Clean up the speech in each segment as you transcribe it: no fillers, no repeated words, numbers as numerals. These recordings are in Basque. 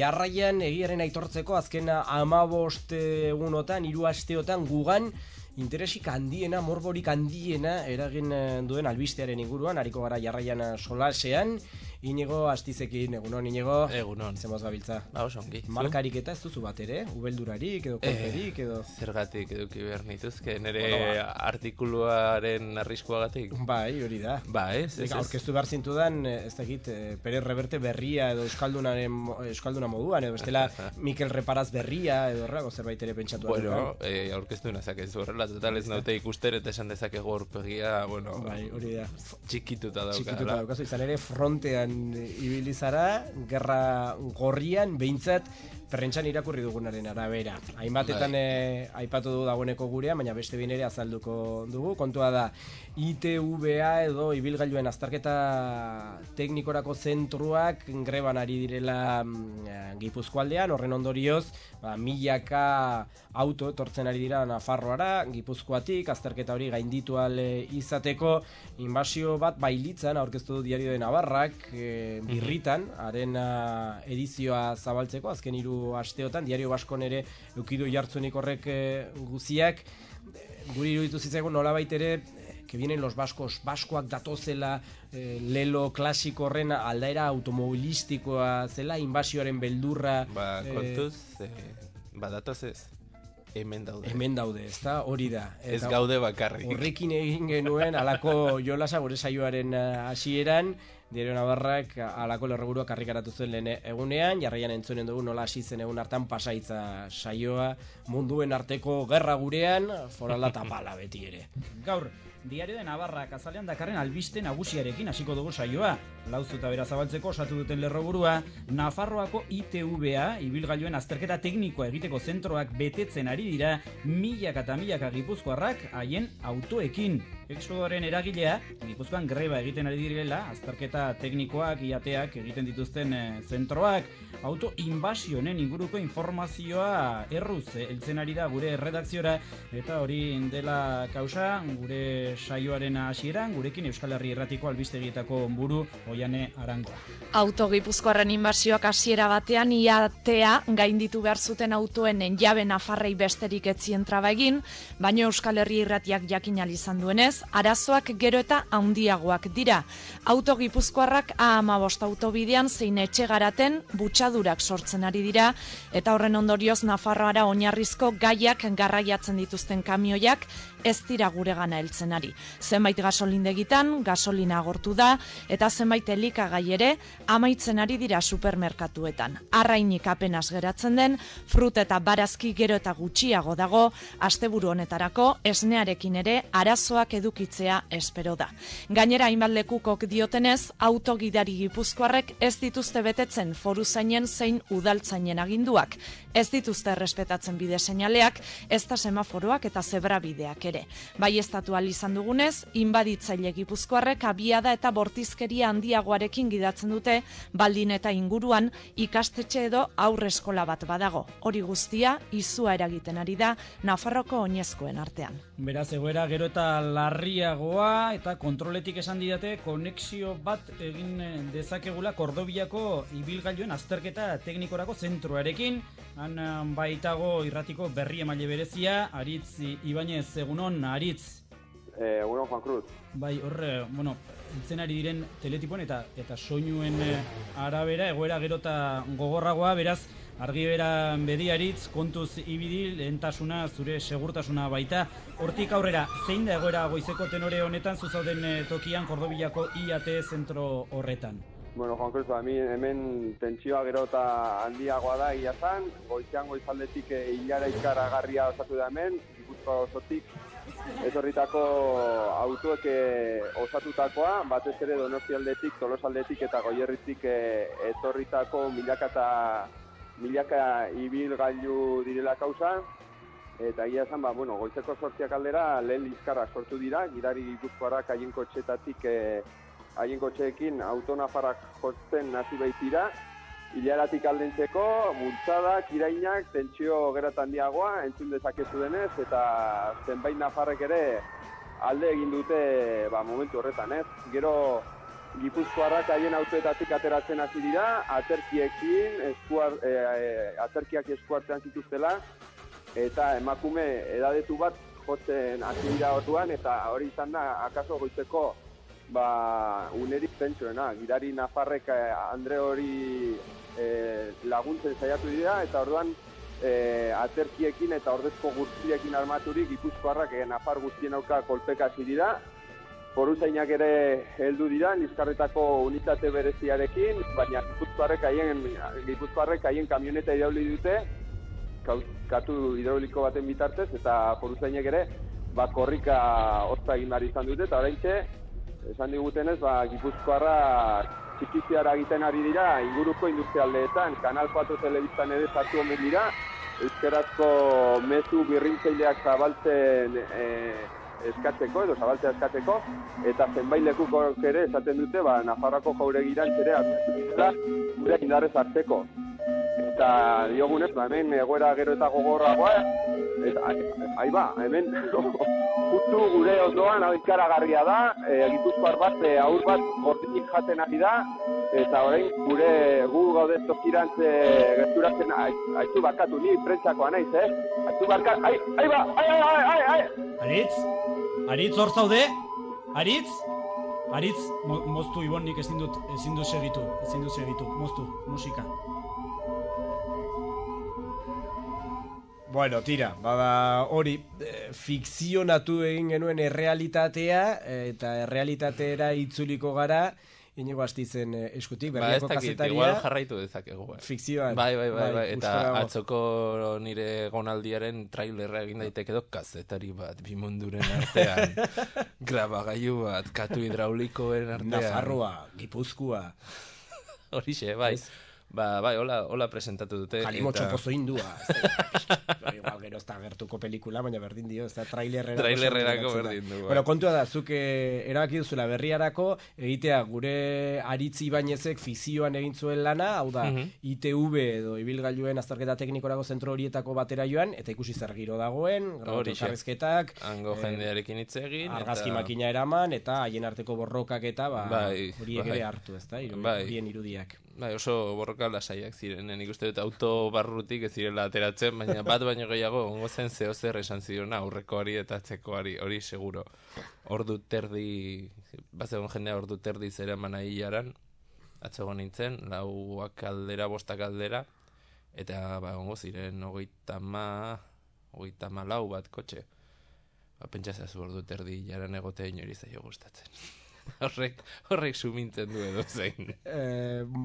jarraian egiaren aitortzeko azken 15 egunotan, 3 asteotan gugan interesik handiena, morborik handiena eragin duen albistearen inguruan, hariko gara jarraian solasean. Inigo Astizekin, egunon, Inigo? Egunon. Zemoz gabiltza? Ba, oso ongi. Markarik eta ez duzu bat ere? Ubeldurarik edo kolperik edo? Zergatik eduki behar nituzke, nire artikuluaren arriskuagatik. Bai, hori da. Ba, ez. Aurkeztu behar zintudan, ez dakit, Perez Reverte berria edo euskalduna moduan, edo bestela Mikel Reparaz berria edo horrego zerbait ere pentsatu. Bueno, aurkeztu nazakezu horrela, total ez naute ikuster eta esan dezakegu aurpegia, bueno, bai, hori da. Txikituta dauka. Txikituta daukazu, izan ere frontean ibili zara, gerra gorrian, behintzat prentxan irakurri dugunaren arabera. Hainbatetan aipatu du dagoeneko gurean, baina beste behin ere azalduko dugu. Kontua da, ITVA edo ibilgailuen azterketa teknikorako zentruak greban ari direla Gipuzkoaldean, horren ondorioz, milaka auto etortzen ari dira Nafarroara, Gipuzkoatik, azterketa hori gainditu izateko, inbasio bat bailitzan aurkeztu du Diario de Navarrak, birritan, haren edizioa zabaltzeko, azken 3 asteotan, Diario Baskon ere eukidu jartzunik horrek guziak, guri iruditu zitzaigun nolabait ere, que vienen los vascos, baskoak datozela, lelo klasiko horren aldaera automobilistikoa zela, inbasioaren beldurra. Ba, kontuz, datoz ez. Hemen daude. Hemen daude, ezta? Hori da. Ez gaude bakarrik. Horrekin egin genuen alako jolasa gure saioaren hasieran, Diario Navarrak alako lerroburua karrikaratu zuen lehen egunean, jarraian entzunen dugu nola hasi zen egun hartan pasaitza saioa, munduen arteko gerra gurean, forala tapala beti ere. Gaur, Diario de Navarrak azalean dakarren albiste nagusiarekin hasiko dugu saioa. Lauzuta bera zabaltzeko osatu duten lerroburua, Nafarroako ITVA, ibilgailuen azterketa teknikoa egiteko zentroak betetzen ari dira milaka eta milaka gipuzkoarrak haien autoekin. Exodoaren eragilea, Gipuzkoan greba egiten ari direla, azterketa teknikoak, iateak egiten dituzten zentroak, auto inbasionen inguruko informazioa erruz heltzen ari da gure redakziora, eta hori dela kausa gure saioaren hasieran, gurekin Euskal Herri Irratiko albistegietako buru Oiane Arangoa. Auto Gipuzkoarren inbasioak hasiera batean iatea gainditu behar zuten autoen jabe Nafarrei besterik etzien traba egin, baina Euskal Herri Irratiak jakin ahal izan duenez, arazoak gero eta handiagoak dira. Auto Gipuzkoarrak A15 autobidean zein etxe garaten butxadurak sortzen ari dira, eta horren ondorioz Nafarroara oinarrizko gaiak garraiatzen dituzten kamioiak ez dira guregana heltzen ari. Zenbait gasolindegitan gasolina agortu da, eta zenbait elikagai ere amaitzen ari dira supermerkatuetan. Arrainik apenas geratzen den, fruta eta barazki gero eta gutxiago dago, asteburu honetarako esnearekin ere arazoak edukitzea espero da. Gainera hainbat lekukok diotenez, autogidari gipuzkoarrek ez dituzte betetzen foruzainen zein udaltzainen aginduak, ez dituzte errespetatzen bide seinaleak, ez da semaforoak eta zebrabideak ere. Bai estatu izan dugunez, inbaditzaile gipuzkoarrek abiada eta bortizkeria handiagoarekin gidatzen dute, baldin eta inguruan ikastetxe edo aurreskola bat badago. Hori guztia izua eragiten ari da Nafarroko oinezkoen artean. Beraz, egoera gero eta larriagoa eta kontroletik esan didate konexio bat egin dezakegula Kordobiako ibilgailuen azterketa teknikorako zentroarekin. Han baitago irratiko berri emaile berezia, Aritz Ibanez, egunon, Aritz. Egunon, Juan Cruz. Bai, horre, entzen ari diren teletipon eta soinuen arabera, egoera gero eta gogorragoa, beraz, argi bera bediaritz, kontuz ibili, lehentasuna, zure segurtasuna baita. Hortik aurrera, zein da egoera goizeko tenore honetan, zuzauden tokian Kordobiako IAT zentro horretan? Bueno, Juan Cruz, hemen tentsioa gero eta handiagoa da egia zan, goizean goizaldetik hilara ikaragarria osatu da hemen, Gipuzkoa osotik, etorritako autoek osatutakoa, batez ere Donostialdetik, Tolosaldetik eta Goierritik etorritako milaka ibilgailu direla kausa, eta egia esan, goizeko 8 aldera lehen liskarrak sortu dira, gidari Gipuzkoarrak haien kotxeetatik haien kotxeekin autonafarrak jotzen hasi baitira, hilaratik aldentzeko, multzadak, irainak, tentsio geratan handiagoa, entzun dezakezu denez, eta zenbait nafarrek ere alde egin dute momentu horretan, ez? Gero Gipuzkoarrak haien autoetatik ateratzen hasi dira, aterkiekin, aterkiak eskuartean zituztela, eta emakume edadetu bat jotzen hasi dira orduan, eta hori izan da, akaso goizeko unerik zentsuena. Gidari nafarrek Andre hori laguntzen saiatu dira, eta orduan aterkiekin eta ordezko guztiekin armaturik Gipuzkoarrak nafar guztien auka kolpeka hasi dira. Foruzainak ere heldu dira, Liskarretako unitate bereziarekin, baina Gipuzkoarrek haien kamioneta irauli dute, katu hidrauliko baten bitartez, eta foruzainak ere korrika hozta egin behar izan dute, eta oraintxe, esan digutenez, Gipuzkoarra txikiziara egiten ari dira, inguruko industrialdeetan, Kanal 4 telebistan ere sartu omen dira, euskarazko mezu birrintzaileak zabaltzen eskatzeko, edo zabaltzea eskatzeko, eta zenbait lekukok ere esaten dute, Nafarroako jauregiran ere gure indarrez hartzeko. Eta diogunez, hemen egoera gero eta gogorragoa, eta hemen justu gure ondoan hau ikaragarria da, Gipuzkoar bat, aur bat gordinik jaten ari da, eta orain gu gaudez tokirantz gerturatzen, haitu barkatu, ni prentsakoa naiz, haitu barkatu, Aritz hor zaude? Aritz, moztu Ibon, nik ezin dut segitu, moztu, musika. Bueno, tira, hori, fikzionatu egin genuen errealitatea, eta errealitateera itzuliko gara, Inigo Astizen eskutik, berriako kazetaria. Igual jarraitu dezakegu. Fikzioan. Bai, eta atzoko nire gonaldiaren trailerra egin daiteke edo kazetari bat, bimunduren artean, grabagailu bat, katu hidraulikoen artean. Nafarroa, Gipuzkoa. Horixe, bai. Bai, hola presentatu dute. Kalimotxo pozo indua. Igual gero ez da gertuko pelikula, baina berdin dio, ez da trailerrerako berdin du. Bueno, kontua da, zuk erabaki duzula berriarako, egitea gure Aritz Ibañezek fikzioan egin zuen lana, hau da, ITV edo ibilgailuen azterketa teknikorako zentro horietako batera joan, eta ikusi zer giro dagoen, grabakarrezketak, hango jendearekin hitz egin, argazki makina eraman, eta haien arteko borrokak eta horiek ere hartu, ez da, horien irudiak. Bai, oso borroka lasaiak ziren, nik uste dut auto barrutik ez zirela ateratzen, baina bat baino gehiago ongo zen zeo zer esan zirona aurrekoari eta atzekoari, hori seguro. Ordu terdi, bazegon jendea ordu terdi zera manai hilaran, atzegon nintzen, 4 aldera, 5 aldera, eta ongo ziren 34 bat kotxe. Pentsazazu ordu terdi hilaran egotea inori zaio gustatzen. Horrek sumintzen du edo zein.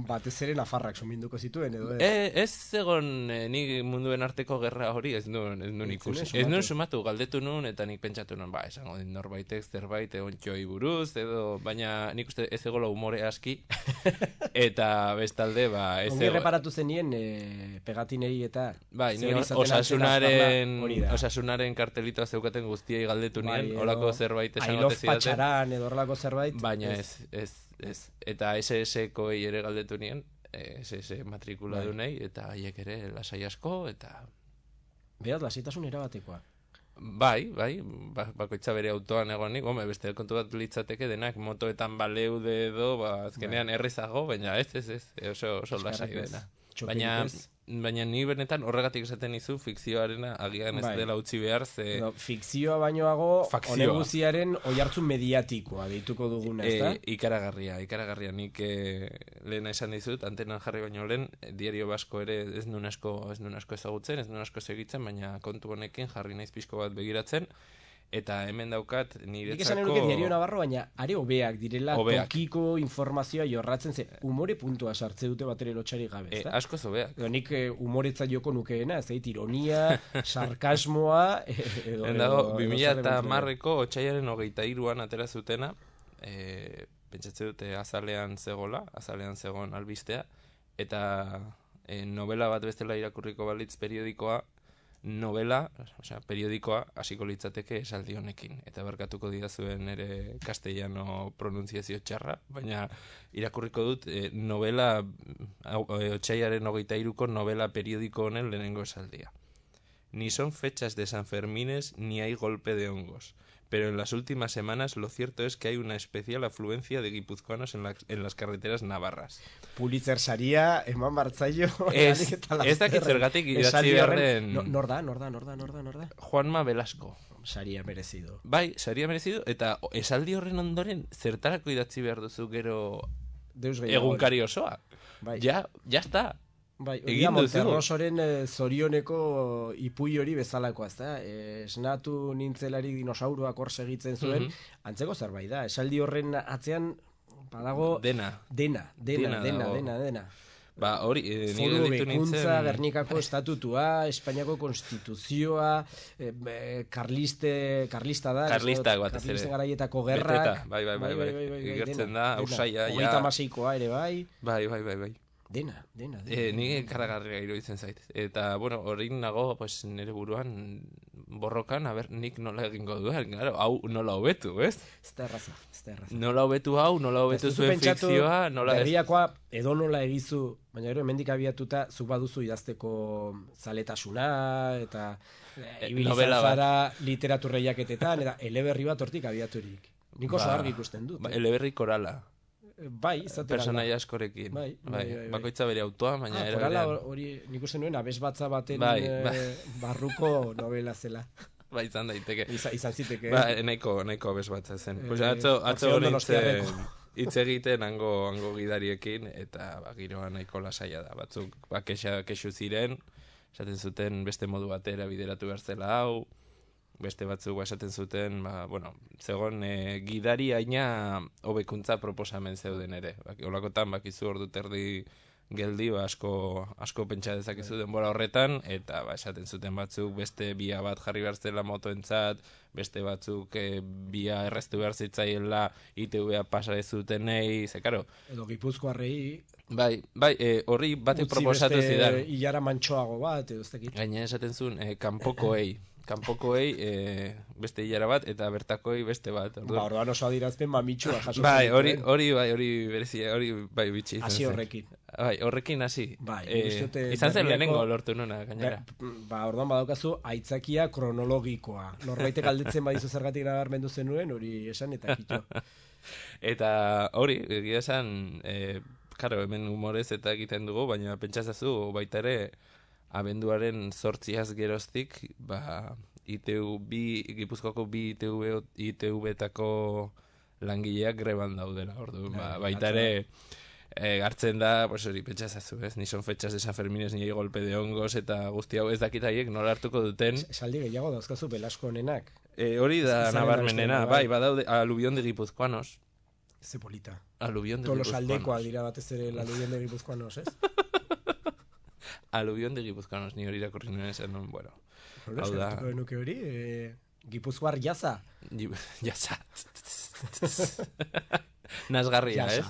Batez ere Nafarrak suminduko zituen edo ez egon nik munduen arteko gerra hori ez nuen ikusi. Ez nuen sumatu, galdetu nuen eta nik pentsatu nuen, esango din norbaitek zerbait egon txoi buruz edo, baina nik uste ez egola umore aski eta bestalde ez ongi reparatu zenien pegatinei eta bai, osasunaren kartelitoa zeukaten guztiei galdetu nien, holako zerbait esan ote zidaten. Patxaran edo horrelako zerbait. Baina ez. Eta SS-koei ere galdetu nien, SS matrikula dunei, eta haiek ere lasai asko, eta... Beraz, lasaitasun erabatekoa. Bai, bakoitza bere autoan egonik, beste kontu bat litzateke denak motoetan baleude edo, azkenean errezago, baina ez, oso lasai dena. Baina ni benetan horregatik esaten izu fikzioarena agian ez dela utzi behar fikzioa bainoago oneguziaren oihartzun mediatikoa deituko duguna, ez da? Ikaragarria nik lehena esan dizut, antenan jarri baino lehen, Diario Basko ere ez nuen asko ezagutzen, ez nuen asko segitzen, baina kontu honekin jarri naiz pixko bat begiratzen, eta hemen daukat niretzako... Nik esan enuke Diario Navarro, baina are hobeak direla tokiko informazioa jorratzen, humore puntua sartze dute batere lotxari gabe, ez da? Askoz hobeak. Nik humoretza joko nukeena, ez da, ironia, sarkasmoa... Dago, 2010ko otsailaren 23an atera zutena, pentsatze dute azalean zegoen albistea, eta novela bat bestela irakurriko balitz periodikoa, periodikoa hasiko litzateke esaldi honekin, eta barkatuko didazuen ere castellano pronunziazio txarra, baina irakurriko dut novela, otsailaren 23ko novela periodiko honen lehenengo esaldia. Ni son fechas de Sanfermines ni hay golpe de hongos, pero en las últimas semanas lo cierto es que hay una especial afluencia de guipuzcoanos en las carreteras navarras. Pulitzer saria eman bartzaio. Ez dakit zergatik idatzi beharren... Nor da? Juanma Velasco. Saria merezido. Bai, saria merezido, eta esaldi horren ondoren zertarako idatzi behar duzu gero egunkari osoa. Bai. Ja está. Bai, egin duzu. Monterrosoren zorioneko ipui hori bezalakoa, ezta? Esnatu nintzelari dinosauroak hor segitzen zuen, antzeko zerbait da. Esaldi horren atzean badago Dena. Ba, hori, Foru Bekuntza, Gernikako estatutua, Espainiako konstituzioa, karlista da. Karlistak batez ere. Karlisten garaietako gerrak. Bai. Igertzen da, Ausaia, ja. 36koa ere bai. Bai. Dena. Ni karagarria iruditzen zait. Eta, bueno, hori nago, pues, nire buruan borrokan, nik nola egingo duen, claro, hau nola hobetu, ez? Ez da erraza. Nola hobetu hau, nola hobetu zuen fikzioa, nola... Berriakoa edo nola egizu, baina gero hemendik abiatuta zuk baduzu idazteko zaletasuna, eta ibilizan zara literaturreiaketetan, eta eleberri bat hortik abiaturik. Nik oso argi ikusten dut. Eleberri korala. Bai, izaten personaia askorekin. Bai. Bakoitza bere autoa, baina era korala hori nik uste nuen abesbatza baten barruko novela zela. Bai, izan daiteke. Izan ziteke. Ba, nahiko abesbatza zen. Pues atzo hitz egiten hango gidariekin, eta giroa nahiko lasaia da. Batzuk kexu ziren, esaten zuten beste modu batera bideratu behar zela hau, beste batzuk esaten zuten, zegoen gidari aina hobekuntza proposamen zeuden ere. Olakotan bakizu ordu terdi geldi, asko pentsa dezakizu denbora horretan, eta esaten zuten batzuk beste bia bat jarri behar zela motoentzat, beste batzuk bia erreztu behar zitzaiela ITV-a pasa ez zutenei, zekaro. Edo Gipuzkoarrei... Bai, horri batek proposatu zidan. Utzi beste hilara mantxoago bat, edo ez dakit. Gaina esaten zuen, kanpokoei beste hilara bat, eta bertakoei beste bat. Orduan oso adirazpen mamitxua jaso. Bai, hori berezia, hori bai bitxi. Hasi horrekin. Bai, horrekin hasi. Bai, izan zen lehenengo lortu nuna, gainera. Orduan badaukazu aitzakia kronologikoa. Norbaitek aldetzen badizu zergatik nabarmendu zenuen, hori esan eta kitxo. Eta hori, egia esan... Karo, hemen humorez eta egiten dugu, baina pentsazazu baita ere abenduaren 8az geroztik, Gipuzkoako bi ITV-etako langileak greban daudela, orduan, baita ere hartzen da, pues hori, pentsazazu, ez? Ni son fechas de San Fermines, ni golpe de hongos, eta guzti hau ez dakit haiek nola hartuko duten. Esaldi gehiago dauzkazu Velasco honenak. Hori da nabarmenena, bai, badaude, alubion de guipuzcoanos. Ze polita. Alubion de guipuzcoanos. Tolosaldekoa dira batez ere alubion de guipuzcoanos, ez? Alubion de guipuzcoanos, ni hori irakurri nuen esan, bueno. Hau da. Nuke hori, Gipuzkoar jaza. Jaza. Nazgarria, ez?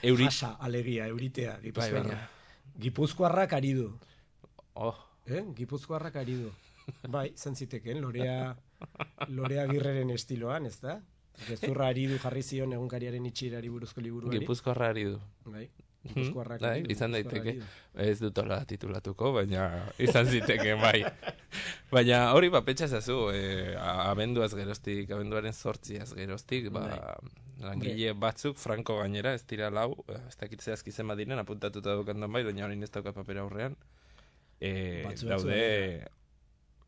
Jasa, alegia, euritea, Gipuzkoarra. Gipuzkoarrak ari du. Gipuzkoarrak ari du. Bai, izan ziteken, Lorea Agirreren estiloan, ez da? Gezurra ari du jarri zion egunkariaren itxirari buruzko liburuari. Gipuzkoarra ari du. Bai, Gipuzkoarrak ari du. Izan daiteke. Ez dut hola titulatuko, baina izan ziteke, bai. Baina hori pentsa zazu, abenduaren 8az geroztik, langile batzuk, Franco gainera, ez dira lau, ez dakitze azkizen badiren, apuntatuta dukandan bai, baina hori ez dauka papera aurrean. Daude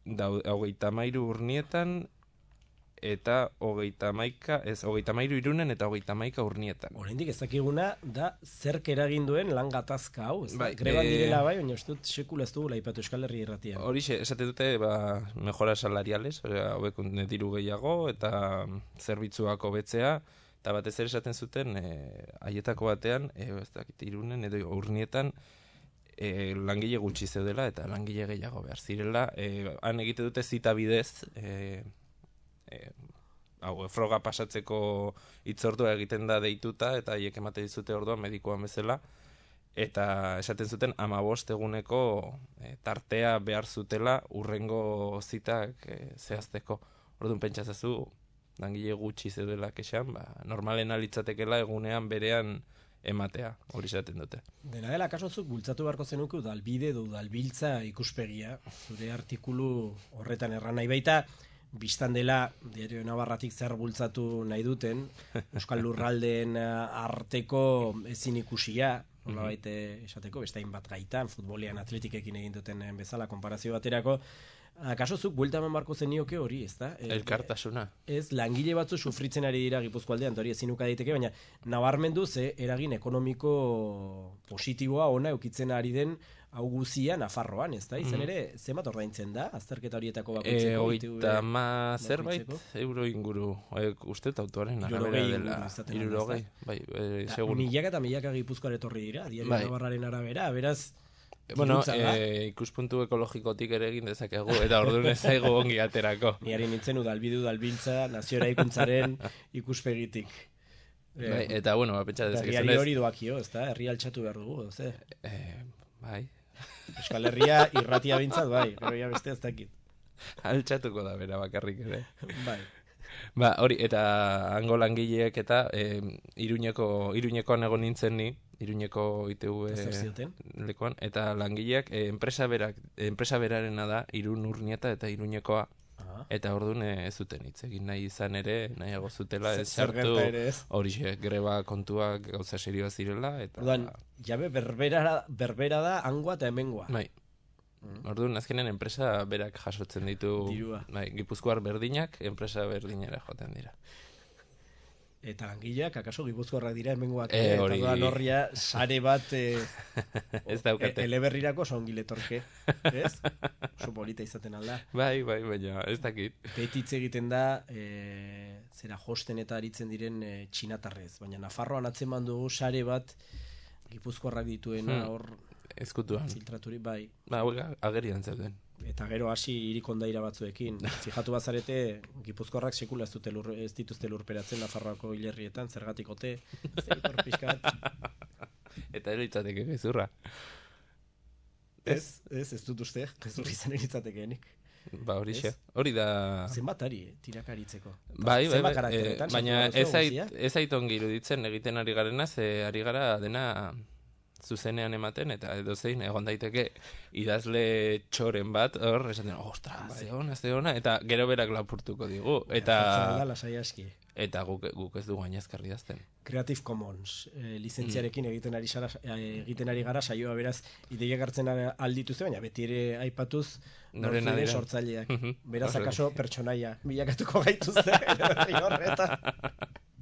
33 urnietan, eta 33 Irunen eta 33 Urnietan. Oraindik ez dakiguna da zerk eragin duen lan gatazka hau, ez da? Greban direla bai, baina ez dut sekula ez dugula aipatu Euskal Herri irratian. Horixe, esate dute mejoras salariales, hobekuntza diru gehiago eta zerbitzuak hobetzea, eta batez ere esaten zuten haietako batean, ez dakit Irunen edo Urnietan, langile gutxi zeudela eta langile gehiago behar zirela. Han egite dute zita bidez, froga pasatzeko hitzordua egiten da deituta, eta haiek emate dizute orduan medikuan bezala, eta esaten zuten 15 eguneko tartea behar zutela urrengo zitak zehazteko. Orduan pentsazazu, langile gutxi zeudela kexan, normalena litzatekela egunean berean ematea, hori esaten dute. Dena dela, kasozuk bultzatu beharko zenuke udalbide edo udalbiltza ikuspegia, zure artikulu horretan erran nahi baita, Bistan dela, Diario Navarratik zer bultzatu nahi duten, Euskal Lurraldeen arteko ezin ikusia, nolabait esateko, bestain bat gaitan, futbolean atletikekin egin duten bezala, konparazio baterako, akaso zuk buelta eman barko zenioke hori, ez da? Elkartasuna. Ez, langile batzu sufritzen ari dira Gipuzkoaldean, hori ezin uka daiteke, baina nabarmendu ze eragin ekonomiko positiboa ona eukitzen ari den hau guzia Nafarroan, ez da? Izan ere, zenbat ordaintzen da, azterketa horietako bakoitzeko? 30 zerbait euro inguru, uste autoaren arabera dela. 60, bai, seguro. Milaka eta milaka Gipuzkoar etorri dira, Diario Navarraren arabera, beraz, bueno, ikuspuntu ekologikotik ere egin dezakegu, eta orduan ez zaigu ongi aterako. Niari nintzen udalbiltza nazio eraikuntzaren ikuspegitik. Eta, bueno, pentsa dezakezunez. Herriari hori doakio, ez da? Herri altxatu behar dugu, ez da? Bai. Euskal Herria irratia bintzat, bai, gero ja beste ez dakit. Altxatuko da bera bakarrik ere. Bai. Ba, hori, eta hango langileek eta Iruñekoan egon nintzen ni, Iruñeko ITV lekuan, eta langileak enpresa berarena da Irun Urnieta eta Iruñekoa. Eta orduan ez zuten hitz egin nahi izan ere, nahiago zutela ez sartu hori greba kontuak gauza serioa zirela. Orduan, jabe berbera da hangoa eta hemengoa. Bai. Orduan, azkenen enpresa berak jasotzen ditu, bai, Gipuzkoar berdinak, enpresa berdinera joaten dira. Eta langileak, akaso Gipuzkoarrak dira hemengoak, eta doan horria sare bat ez daukate. Eleberrirako songiletorke, ez? Oso polita izaten alda. Bai, baina ez dakit. Petitz egiten da, zera josten eta aritzen diren txinatarrez, baina Nafarroan atzeman dugu sare bat Gipuzkoarrak dituena hor ezkutuan. Filtraturi, bai. Ba, agerian zauden. Eta gero hasi irikondaira batzuekin. Fijatu bazarete, Gipuzkoarrak sekula ez dituzte lurperatzen Nafarroako hilerrietan, zergatikote, zeitor pixkat. Eta eritzateke gezurra. Ez dut uste, gezurri izan eritzatekeenik. Ba, hori da... Zenbatari, tirakaritzeko. Bai, baina ez aiton iruditzen egiten ari garena, ze ari gara dena zuzenean ematen, eta edo zein egon daiteke idazle txoren bat, hor, esaten, ostras, ze ona, eta gero berak lapurtuko digu. Eta guk ez dugu gainazkarri dazten. Creative Commons, lizentziarekin egiten ari gara, saioa beraz, ideiak hartzen aldituzte, baina beti ere aipatuz, nortzide sortzaileak. Beraz, akaso pertsonaia, bilakatuko gaituzte, horretan.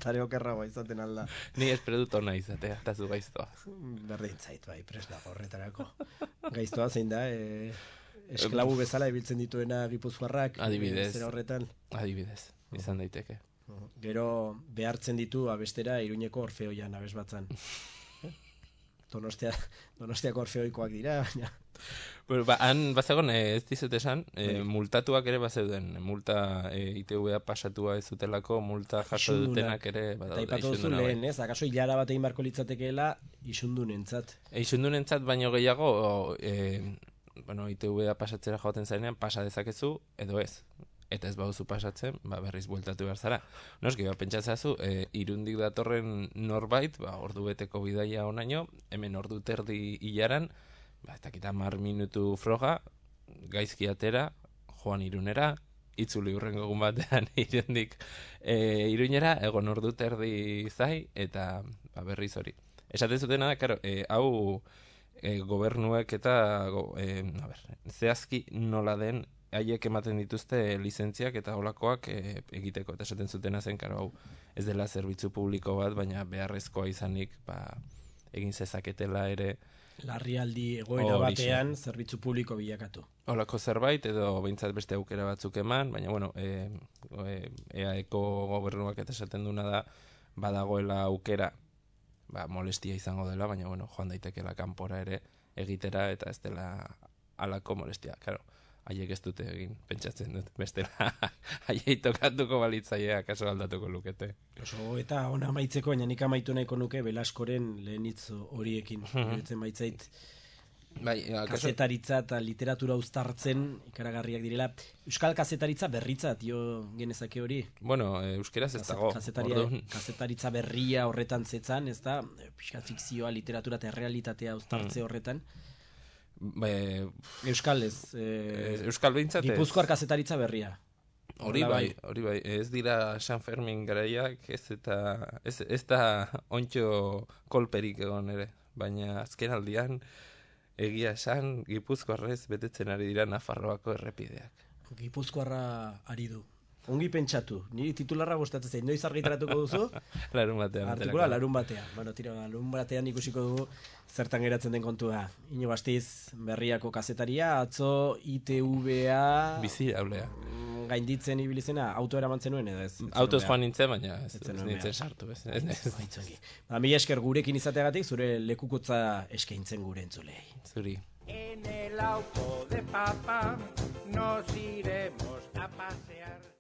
Zare okerragoa izaten alda. Ni espero dut ona izatea, eta zu gaiztoa. Berdin zait, bai, presna horretarako. Gaiztoa zein da, esklabu bezala ibiltzen dituena Gipuzkoarrak. Adibidez. Zera horretan. Adibidez, izan daiteke. Gero behartzen ditu abestera Iruñeko Orfeoian abes batzan. Donostiako Orfeoikoak dira, baina... Bueno, han bazagon ez dizut esan, multatuak ere bazeuden, multa ITV pasatua ez zutelako, multa jaso dutenak ere badaude. Eta ipatu duzu lehen, ez? Akaso hilara bat egin barko litzatekeela isundunentzat. Isundunentzat baino gehiago, ITV pasatzera joaten zarenean, pasa dezakezu, edo ez. Eta ez baduzu pasatzen, berriz bueltatu behar zara. Noski, pentsatzazu, Irundik datorren norbait, ordu beteko bidaia onaino, hemen ordu terdi hilaran, eta kita 10 minutu froga, gaizki atera, joan Irunera, itzuli hurrengo egun batean Irundik Iruñera, egon ordu terdi zai, eta berriz hori. Esaten zutena da, karo, hau gobernuek eta zehazki nola den haiek ematen dituzte lizentziak eta holakoak egiteko, eta esaten zutena zen, karo, hau ez dela zerbitzu publiko bat, baina beharrezkoa izanik egin zezaketela ere larrialdi egoera batean zerbitzu publiko bilakatu. Holako zerbait, edo behintzat beste aukera batzuk eman, baina, bueno, EAeko gobernuak eta esaten duna da, badagoela aukera, molestia izango dela, baina, bueno, joan daitekela kanpora ere egitera, eta ez dela alako molestia, karo. Haiek ez dute egin, pentsatzen dut, bestela haiei tokatuko balitzaia kaso aldatuko lukete. Oso, eta ona amaitzeko, baina nik amaitu nahiko nuke Belaskoren lehen hitz horiekin. Beretzen baitzait, kazetaritza eta literatura uztartzen ikaragarriak direla. Euskal kazetaritza berritza, genezake hori? Bueno, euskeraz ez dago. Kazetaritza berria horretan zetzan, ez da? Pixka fikzioa, literatura eta realitatea uztartze horretan. Euskal ez. Euskal behintzat ez. Gipuzkoar kazetaritza berria. Hori bai. Ez dira San Fermin garaiak, ez da ontxo kolperik egon ere. Baina azken aldian, egia esan, Gipuzkoarrez betetzen ari dira Nafarroako errepideak. Gipuzkoarra ari du. Ongi pentsatu. Niri titularra gustatzen zait. Noiz argitaratuko duzu? Larun batean. Artikula larun batean. Bueno, tira, larun batean ikusiko dugu zertan geratzen den kontua. Ino Bastiz, Berriako kazetaria, atzo ITV-a... Bizi haulea. Gainditzen ibilizena, auto eramantzen nuen edo ez? Autoz joan nintzen, baina ez nintzen sartu. Mila esker gurekin izateagatik, zure lekukotza eskaintzen gure entzulei. Zuri. En el auto de papá nos iremos a pasear.